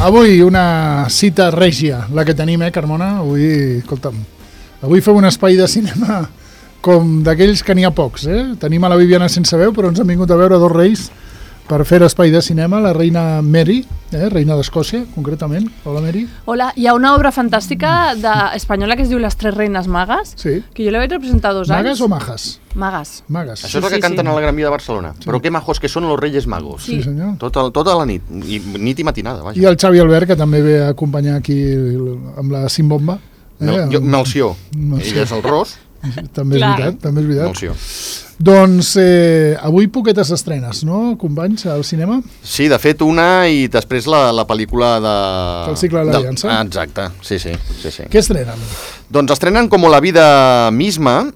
Avui una cita règia, la que tenim, Carmona? Avui, escolta'm, avui fem un espai de cinema com d'aquells que n'hi ha pocs, Tenim a la Viviana sense veu, però ens han vingut a veure dos reis per fer espai de cinema, la reina Mary, reina d'Escòcia, concretament. Hola, Mary. Hola, hi ha una obra fantàstica espanyola que es diu Les tres reines magues, Sí. que jo la vaig representar 2 anys. Magues o majas? Magues. Magues. Això és el que canten a la Gran Via de Barcelona. Però que majos que són los Reyes Magos. Sí, senyor. Tota la nit. Nit i matinada, vaja. I el Xavi Albert, que també ve a acompanyar aquí amb la Simbomba. Melció. Ell és el Ros. També és Clar. veritat, també és veritat. Melció. Doncs avui poquetes estrenes, no, companys, al cinema? Sí, de fet, una i després la pel·lícula de... Del cicle de l'Aliança. Exacte, sí. Què estrenen? Doncs estrenen Com la vida misma,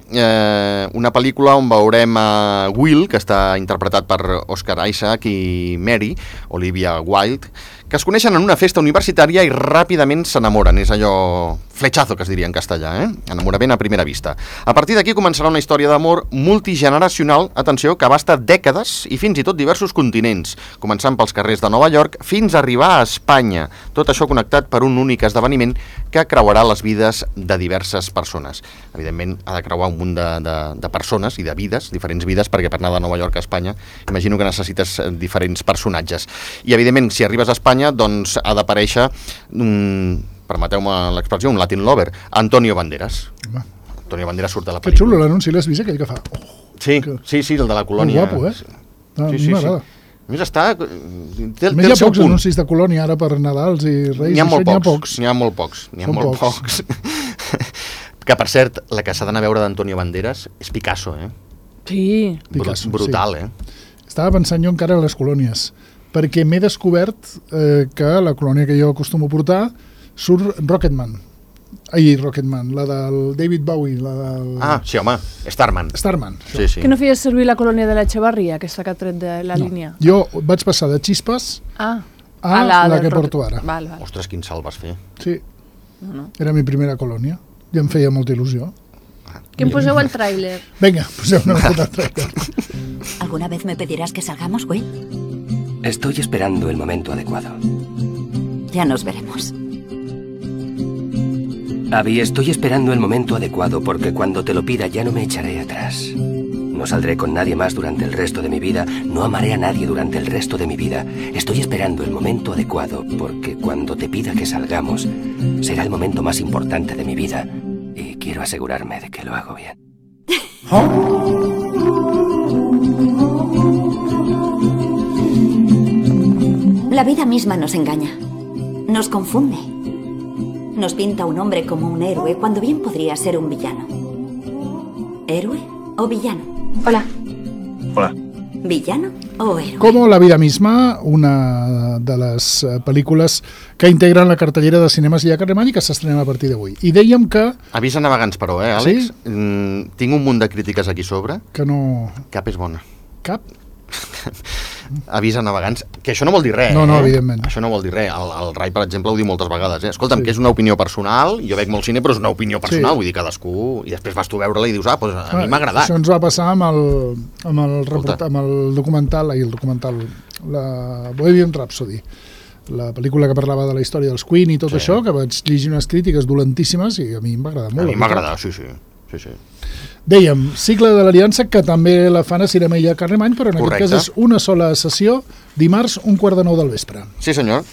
una pel·lícula on veurem a Will, que està interpretat per Oscar Isaac, i Mary, Olivia Wilde, que es coneixen en una festa universitària i ràpidament s'enamoren. És allò flechazo, que es diria en castellà, enamorament a primera vista. A partir d'aquí començarà una història d'amor multigeneracional, atenció, que abasta dècades i fins i tot diversos continents, començant pels carrers de Nova York fins a arribar a Espanya. Tot això connectat per un únic esdeveniment que creuarà les vides de diverses persones. Evidentment, ha de creuar un munt de persones i de vides, diferents vides, perquè per anar de Nova York a Espanya imagino que necessites diferents personatges. I, evidentment, si arribes a Espanya, doncs ha d'aparèixer, permeteu-me l'expressió, un Latin lover, Antonio Banderas. Home. Antonio Banderas surt de la Que pel·lícula. xulo l'anunci, l'has vist, aquell que fa? Sí, el de la colònia. Molt guapo, A mi m'agrada. A més està... A més, hi ha pocs anuncis de colònia ara per Nadals i Reis. N'hi ha molt pocs. pocs. Que, per cert, la que s'ha d'anar a veure d'Antonio Banderas és Picasso, Sí. Picasso, brutal, Estava pensant jo encara en les colònies, perquè m'he descobert que la colònia que jo acostumo a portar surt Rocketman, la del David Bowie, la del... Ah, sí, home, Starman. això. Que no feies servir la colònia de l'Echevarria, aquesta que ha tret de la línia? Jo vaig passar de Xispes a la que porto ara. Val. Ostres, quin salt vas fer. Sí, era mi primera colònia i em feia molta il·lusió. Que em poseu el tràiler. Venga, poseu una miqueta al tràiler. ¿Alguna vez me pedirás que salgamos, Will? Estoy esperando el momento adecuado. Ya nos veremos. Abby, estoy esperando el momento adecuado porque cuando te lo pida ya no me echaré atrás. No saldré con nadie más durante el resto de mi vida, no amaré a nadie durante el resto de mi vida. Estoy esperando el momento adecuado porque cuando te pida que salgamos será el momento más importante de mi vida y quiero asegurarme de que lo hago bien. La vida misma nos engaña, nos confunde. Nos pinta un hombre como un héroe cuando bien podría ser un villano. ¿Héroe o villano? Hola. ¿Villano o héroe? Como la vida misma, una de les pel·lícules que integren la cartellera de cinemes i a Carlemany i que s'estrena a partir d'avui. I dèiem que... Avís a navegants, però, Àlex? Sí? Tinc un munt de crítiques aquí sobre. Que no... Cap és bona. Cap? Avís a navegants, que això no vol dir res. No, evidentment. Això no vol dir res. El Rai, per exemple, ho diu moltes vegades. Escolta'm, que és una opinió personal, jo veig molt cine, però és una opinió personal, vull dir, cadascú... I després vas tu a veure-la i dius, doncs a mi m'ha agradat. Això ens va passar amb el documental, la Bohemian Rhapsody, la pel·lícula que parlava de la història dels Queen i tot això, que vaig llegir unes crítiques dolentíssimes i a mi m'ha agradat molt. A mi m'ha agradat, sí. Dèiem, cicle de l'Aliança, que també la fan a Cinema i a Carlemany, però en aquest cas és una sola sessió, dimarts, 8:45 del vespre. Sí, senyor.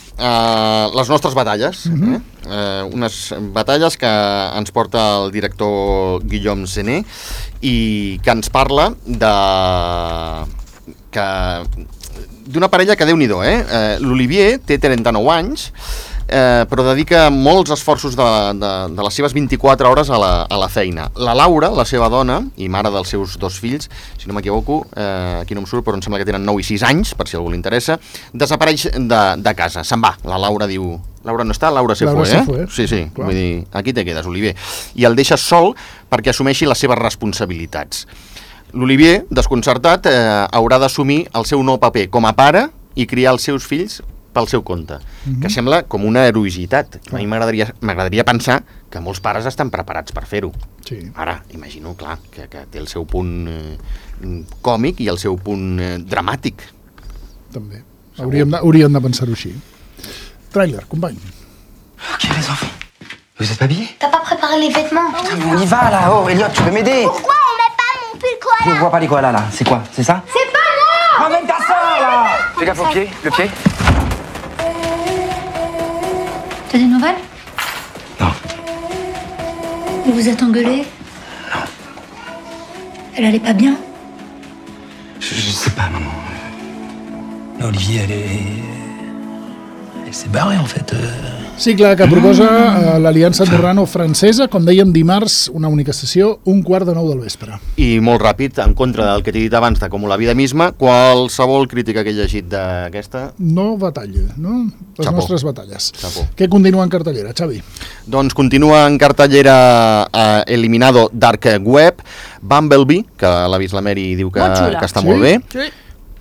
Les nostres batalles. Unes batalles que ens porta el director Guillaume Sené i que ens parla d'una parella que Déu-n'hi-do, L'Olivier té 39 anys, però dedica molts esforços de les seves 24 hores a la feina. La Laura, la seva dona i mare dels seus 2 fills, si no m'equivoco, aquí no em surt, però em sembla que tenen 9 i 6 anys, per si a algú li interessa, desapareix de casa, se'n va. La Laura diu... Laura no està, Laura se fue, Sí, clar. Vull dir, aquí te quedes, Olivier. I el deixa sol perquè assumeixi les seves responsabilitats. L'Olivier, desconcertat, haurà d'assumir el seu nou paper com a pare i criar els seus fills pel seu compte, que sembla com una heroïcitat. A mi m'agradaria pensar que molts pares estan preparats per fer-ho. Sí. Ara, imagino, clar, que té el seu punt còmic i el seu punt dramàtic. També. Hauríem de pensar-ho així. Tràiler, company. Ok, les enfants. Vous êtes pas habillés? T'as pas préparé les vêtements? Putain, mais on y va là. Oh, Elliot, tu peux m'aider? Pourquoi on met pas mon pull Je koala? vois pas les koalas là. C'est quoi? C'est ça? C'est pas moi! Ramène ta sœur là. Fais gaffe au pied. Le pied? T'as des nouvelles? Non. Vous vous êtes engueulés? Non. Elle allait pas bien? Je sais pas, maman. Là, Olivier, elle s'est barrée, en fait. Cicle que proposa l'Aliança Andorrano-Francesa, com dèiem, dimarts, una única sessió, 1:15 del vespre. I molt ràpid, en contra del que t'he dit abans de Com la vida misma, qualsevol crítica que he llegit d'aquesta... No batalla, no? Les Xapó. nostres batalles. Xapó. Què continua en cartellera, Xavi? Doncs continua en cartellera Eliminado Dark Web, Bumblebee, que l'ha vist la Mary i diu que Molt xula. està Sí? molt bé. Sí.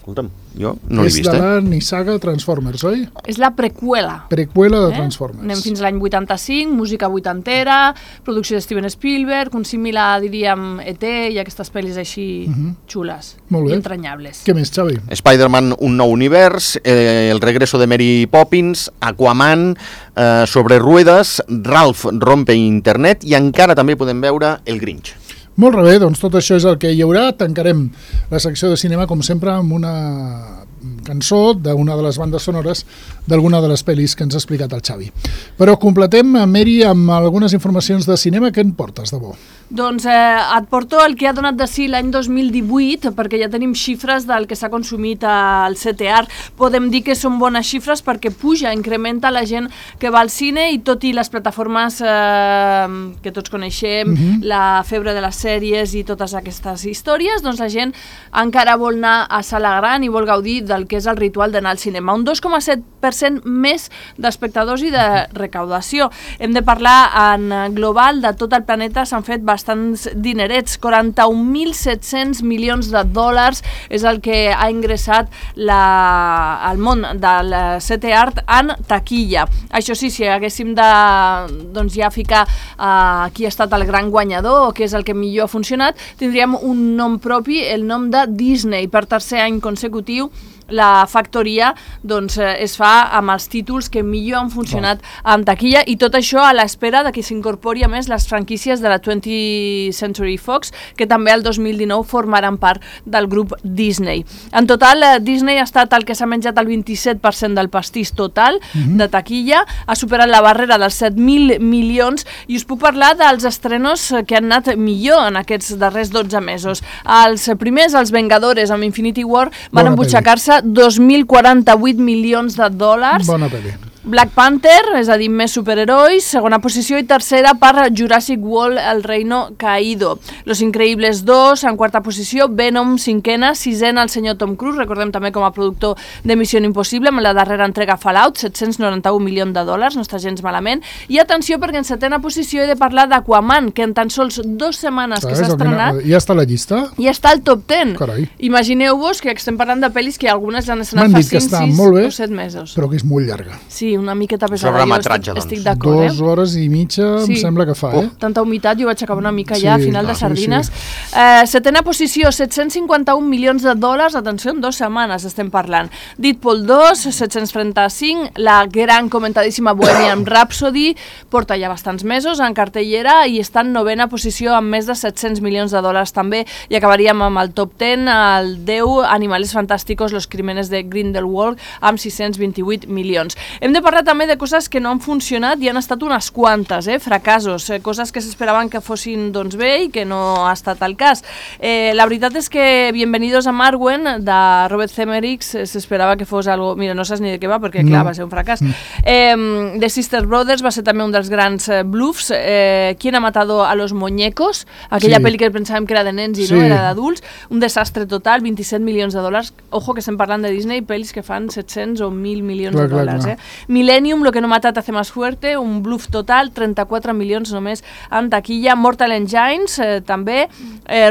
Escolta'm, jo no l'he És vist, de la nissaga Transformers, oi? És la preqüela. Preqüela de Transformers. Anem fins a l'any 85, música vuitantera, producció de Steven Spielberg, un símil·la, diríem, E.T. i aquestes pel·lis així xules Molt bé. i entranyables. Què més, Xavi? Spider-Man, un nou univers, el regreso de Mary Poppins, Aquaman, sobre ruedas, Ralph rompe internet i encara també podem veure El Grinch. Molt bé, doncs tot això és el que hi haurà. Tancarem la secció de cinema, com sempre, amb una cançó d'una de les bandes sonores d'alguna de les pel·lis que ens ha explicat el Xavi. Però completem, Mary, amb algunes informacions de cinema. Què en portes, de bo? Doncs et porto el que ha donat de si l'any 2018, perquè ja tenim xifres del que s'ha consumit al CTR. Podem dir que són bones xifres perquè puja, incrementa la gent que va al cine i tot i les plataformes que tots coneixem, la febre de les sèries i totes aquestes històries, doncs la gent encara vol anar a sala gran i vol gaudir del que és el ritual d'anar al cinema. Un 2,7% més d'espectadors i de recaudació. Hem de parlar en global de tot el planeta, s'han fet bastants dinerets, 41.700 milions de dòlars és el que ha ingressat el món del CTR en taquilla. Això sí, si haguéssim de doncs ja ficar qui ha estat el gran guanyador o què és el que millor ha funcionat, tindríem un nom propi, el nom de Disney. Per tercer any consecutiu la factoria doncs, es fa amb els títols que millor han funcionat en taquilla i tot això a l'espera de que s'incorpori a més les franquícies de la 20th Century Fox, que també el 2019 formaran part del grup Disney. En total, Disney ha estat el que s'ha menjat el 27% del pastís total de taquilla, ha superat la barrera dels 7.000 milions i us puc parlar dels estrenos que han anat millor en aquests darrers 12 mesos. Els primers, els Vengadores amb Infinity War, van embutxacar-se 2.048 milions de dòlars. Bona pel·li. Black Panther, és a dir, més superherois, segona posició, i tercera per Jurassic World, El Reino Caído. Los Increïbles 2, en quarta posició, Venom, cinquena, sisena, el senyor Tom Cruise, recordem també com a productor de Missió Impossible, amb la darrera entrega Fallout, 791 milions de dòlars, no està gens malament. I atenció, perquè en setena posició he de parlar d'Aquaman, que en tan sols 2 setmanes que s'ha estrenat... Ja està a la llista? Ja està al top 10. Carai. Imagineu-vos que estem parlant de pel·lis que algunes ja han estrenat M'han fa dit que 5, està 6 molt bé, o 7 mesos. però que és molt llarga. Sí, una miqueta pesada. Sobre metratge, jo doncs. estic d'acord, 2 hores i mitja em sembla que fa, Tanta humitat, jo vaig acabar una mica Sí, ja a final de sí, sardines. Setena posició, 751 milions de dòlars, atenció, en 2 setmanes estem parlant. Deadpool 2, 735, la gran comentadíssima Bohemian Rhapsody, porta ja bastants mesos en cartellera i està en novena posició amb més de 700 milions de dòlars també, i acabaríem amb el top 10, el 10, Animales Fantásticos, Los Crímenes de Grindelwald, amb 628 milions. Hem de parlar també de coses que no han funcionat i han estat unes quantes, fracassos, coses que s'esperaven que fossin doncs, bé i que no ha estat el cas. La veritat és que Bienvenidos a Marwen, de Robert Zemeckis, s'esperava que fos algo... Mira, no saps ni de què va, perquè clar, va ser un fracàs. The Sister Brothers va ser també un dels grans bluffs. ¿Quién ha matado a los muñecos? Aquella pel·li que pensàvem que era de nens i no, era d'adults. Un desastre total, 27 milions de dòlars. Ojo que estem parlant de Disney, pel·lis que fan 700 o 1.000 milions de dòlars. Millennium, Lo que no mata te hace más fuerte, un bluff total, 34 milions només en taquilla. Mortal Engines, també.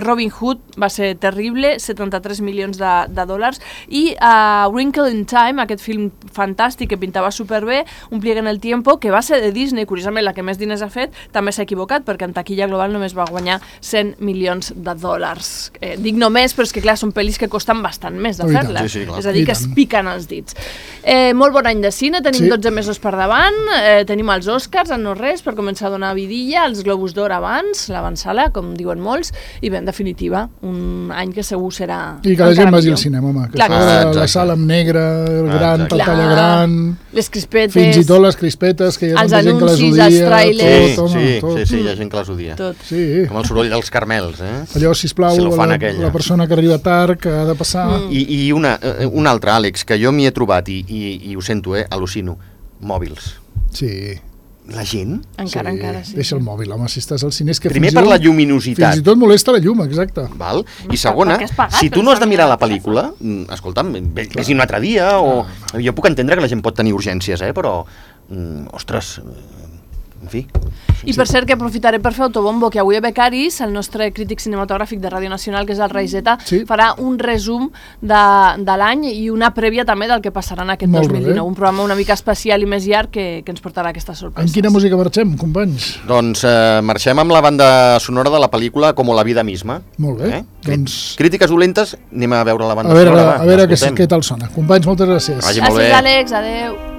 Robin Hood va ser terrible, 73 milions de dòlars. I Wrinkle in Time, aquest film fantàstic que pintava superbé, Un pliegue en el tiempo, que va ser de Disney, curiosament la que més diners ha fet, també s'ha equivocat, perquè en taquilla global només va guanyar 100 milions de dòlars. Dic només, però és que clar, són pel·lis que costen bastant més de fer-les. Sí, és a dir, que es piquen els dits. Molt bon any de cine, tenim 12 mesos per davant, tenim els Oscars, en no res, per començar a donar vidilla, els Globus d'Or abans, l'avançala, com diuen molts, i bé, en definitiva, un any que segur serà I que la gent vagi al cinema, home, que la sala amb negre, gran, pantalla gran, les crispetes, fins i tot les crispetes, que hi ha tanta gent que les odia, els trailers, sí, hi ha gent que les odia. Com el soroll dels caramels, allò, sisplau, la persona que arriba tard, que ha de passar... I un altre, Àlex, que jo m'hi he trobat i ho sento, al·lucino, mòbils. Sí. La gent? Encara, sí. Deixa el mòbil, home, si estàs al cine... És que primer per la lluminositat. Fins i tot molesta la llum, exacte. Val? I segona, si tu no has de mirar la pel·lícula, escolta'm, vés-hi un altre dia, o... Jo puc entendre que la gent pot tenir urgències, però... Ostres... En fi. I per cert que aprofitaré per fer autobombo, que avui a Becaris, el nostre crític cinematogràfic de Ràdio Nacional, que és el Raiseta, farà un resum de l'any i una prèvia també del que passarà en aquest 2019. Un programa una mica especial i més llarg que ens portarà aquestes sorpreses. En quina música marxem, companys? Doncs marxem amb la banda sonora de la pel·lícula Como la vida misma. Molt bé. Doncs... Crítiques dolentes, anem a veure la banda sonora. A veure què tal sona. Companys, moltes gràcies. Vagi molt bé. Gràcies, Àlex. Adéu.